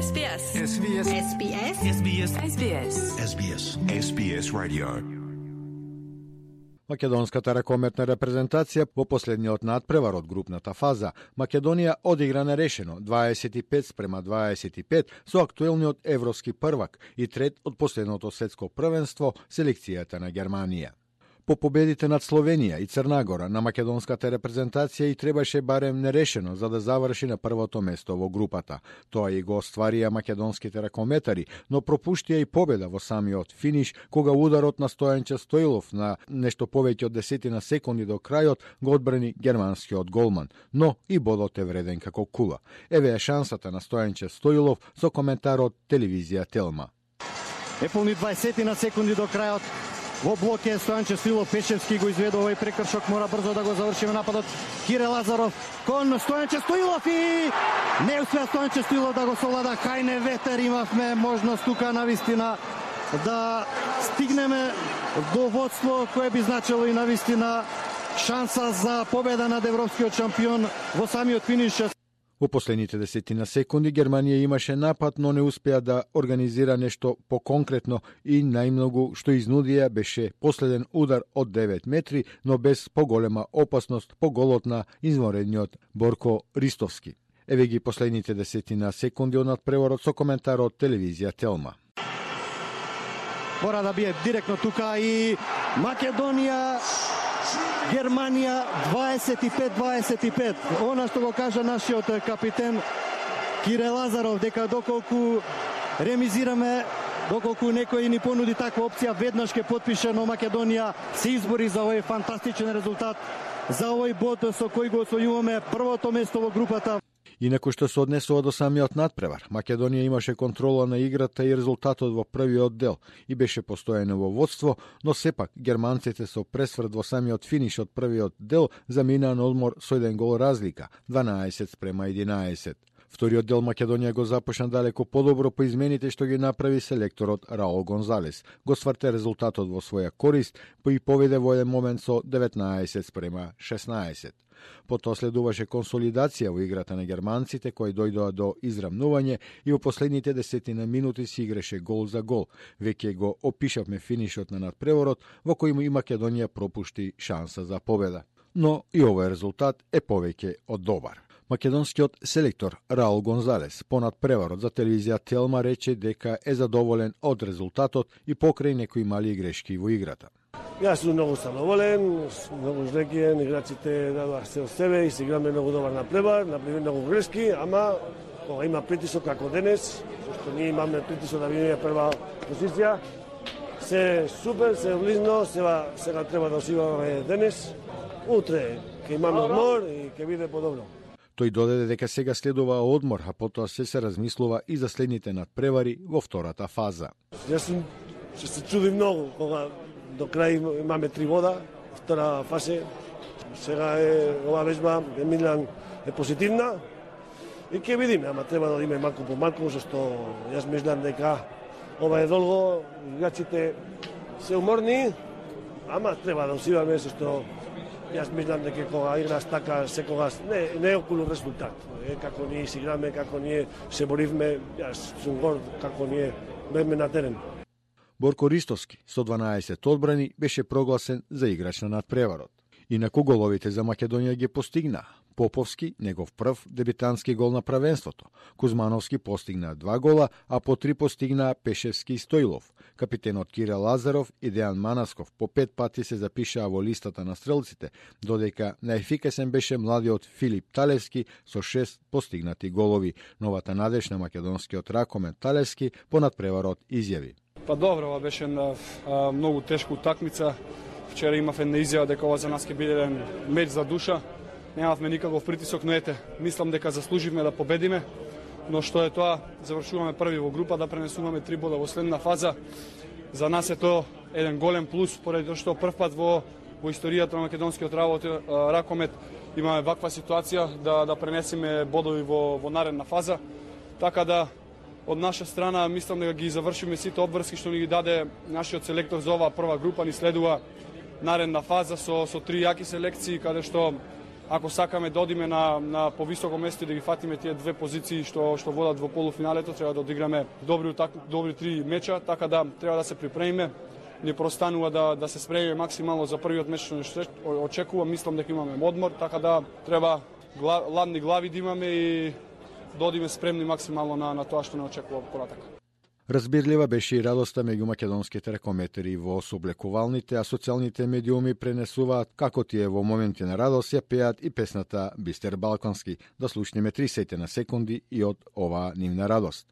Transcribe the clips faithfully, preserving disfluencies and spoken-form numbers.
S B S. S B S. S B S. S B S. S B S. S B S. S B S Radio. Македонската ракометна репрезентација во последниот надпревар од групната фаза Македонија одигра нерешено дваесет и пет спрема дваесет и пет со актуелниот европски првак и трет од последното светско првенство селекцијата на Германија. По победите над Словенија и Црна Гора на македонската репрезентација и требаше барем нерешено за да заврши на првото место во групата. Тоа и го остварија македонските ракометари, но пропуштија и победа во самиот финиш, кога ударот на Стојанче Стоилов на нешто повеќе од десетина секунди до крајот го одбрани германскиот голман, но и бодот е вреден како кула. Еве е шансата на Стојанче Стоилов со коментарот телевизија Телма. Неполни дваесет секунди до крајот. Во блок е Стојанче Стоилов, Пешевски го изведе овој прекршок, мора брзо да го завршиме нападот. Кире Лазаров кон Стојанче Стоилов и не успеа Стојанче Стоилов да го совлада. Хајне ветер, имавме можност тука навистина да стигнеме до водство кое би значило и навистина шанса за победа над европскиот шампион во самиот финиш. Во последните десетина секунди Германија имаше напад, но не успеа да организира нешто поконкретно и најмногу што изнудија беше последен удар од девет метри, но без поголема опасност по голот на извонредниот Борко Ристовски. Еве ги последните десетина секунди од надпреворот со коментарот телевизија Телма. Мора да бие директно тука и Македонија Германија дваесет и пет дваесет и пет. Она што го кажа нашиот капитен Кире Лазаров, дека доколку ремизираме, доколку некој ни понуди таква опција, веднаш ќе потпише, но Македонија се избори за овој фантастичен резултат, за овој бод со кој го освојуваме првото место во групата. Инаку што се однесува до самиот надпревар, Македонија имаше контрола на играта и резултатот во првиот дел и беше постојано во водство, но сепак германците со пресврт во самиот финиш од првиот дел заминаа на одмор со еден гол разлика, дванаесет спрема единаесет. Вториот дел Македонија го започна далеко подобро по измените што ги направи селекторот Раул Гонзалес. Го сврте резултатот во своја корист, па и поведе во еден момент со деветнаесет спрема шеснаесет. Потоа следуваше консолидација во играта на германците, кои дојдоа до израмнување и во последните десетина минути си играше гол за гол. Веќе го опишавме финишот на надпреворот, во кој и Македонија пропушти шанса за победа. Но и овој резултат е повеќе од добар. Македонскиот селектор Раул Гонзалес по надпреварот за телевизија Телма рече дека е задоволен од резултатот и покрај некои мали грешки во играта. Јас сум многу задоволен, многу жлекиен, играчите дадоа се од себе и се играме многу добар надпревар, направи многу грешки, ама кога има притисок како денес, зашто ние имаме притисок да бидеме прва позиција, се супер, се близно, сега, сега треба да осигураме денес, утре ќе имаме одмор и ќе биде подобро. Тој додаде дека сега следува одмор, а потоа се се размислува и за следните надпревари во втората фаза. Јас сум, ще се чуди многу кога до крај имаме три вода, втора фазе. Сега е ова вежба, Емилиан е позитивна и ќе видиме, ама треба да име малку по малку, зашто јас мислам дека ова е долго, играчите се уморни, ама треба да усиваме, зашто јас мислам дека кога играш така секогаш не не е околу резултат. Е како ние си играме, како ние се боривме, јас сум горд како ние беме на терен. Борко Ристовски со дванаесет одбрани беше прогласен за играч на надпреварот. Инаку головите за Македонија ги постигна. Поповски, негов прв дебитантски гол на правенството. Кузмановски постигна два гола, а по три постигна Пешевски и Стоилов. Капитенот Кире Лазаров и Дејан Манасков по пет пати се запишаа во листата на стрелците, додека најефикасен беше младиот Филип Талевски со шест постигнати голови. Новата надеж на македонскиот ракомет Талевски по надпреварот изјави. Па добро, ова беше една а, многу тешка утакмица. Вчера имав една изјава дека ова за нас ќе биде еден меч за душа. Немавме никаков притисок, но ете, мислам дека заслуживме да победиме. Но што е тоа, завршуваме први во група, да пренесуваме три бода во следна фаза. За нас е тоа еден голем плюс, поради тоа што прв пат во, во историјата на македонскиот работ, ракомет имаме ваква ситуација да, да пренесеме бодови во, во наредна фаза. Така да, од наша страна, мислам дека ги завршиме сите обврски што ни ги даде нашиот селектор за оваа прва група. Ни следува наредна фаза со, со три јаки селекции, каде што ако сакаме да одиме на на повисоко место и да ги фатиме тие две позиции што што водат во полуфиналето, треба да одиграме добри добри три меча, така да треба да се припремиме. Ни простанува да да се спремиме максимално за првиот меч што очекувам. Мислам дека имаме одмор, така да треба гла, ладни глави да имаме и да одиме спремни максимално на на тоа што не очекува понатак. Разбирлива беше и радоста меѓу македонските рекометери во соблекувалните, а социјалните медиуми пренесуваат како тие во моменти на радост ја пеат и песната Бистер Балкански. Да слушнеме тридесет на секунди и од оваа нивна радост.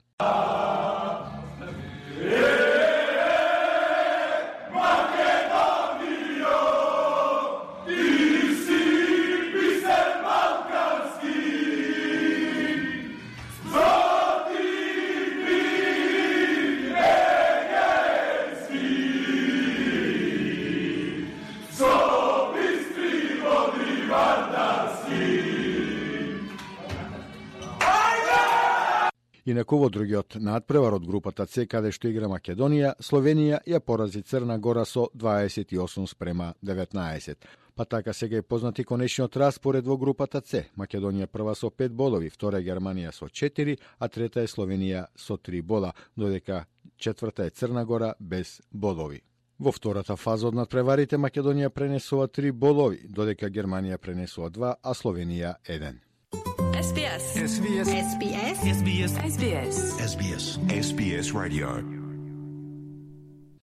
Инаку во другиот надпревар од групата С, каде што игра Македонија, Словенија ја порази Црна Гора со дваесет и осум спрема деветнаесет. Па така сега е познати конечниот распоред во групата С. Македонија прва со пет бодови, втора е Германија со четири, а трета е Словенија со три бода, додека четврта е Црна Гора без бодови. Во втората фаза од надпреварите Македонија пренесува три бодови, додека Германија пренесува два, а Словенија еден. S B S. S B S. S B S. S B S. S B S. S B S Radio.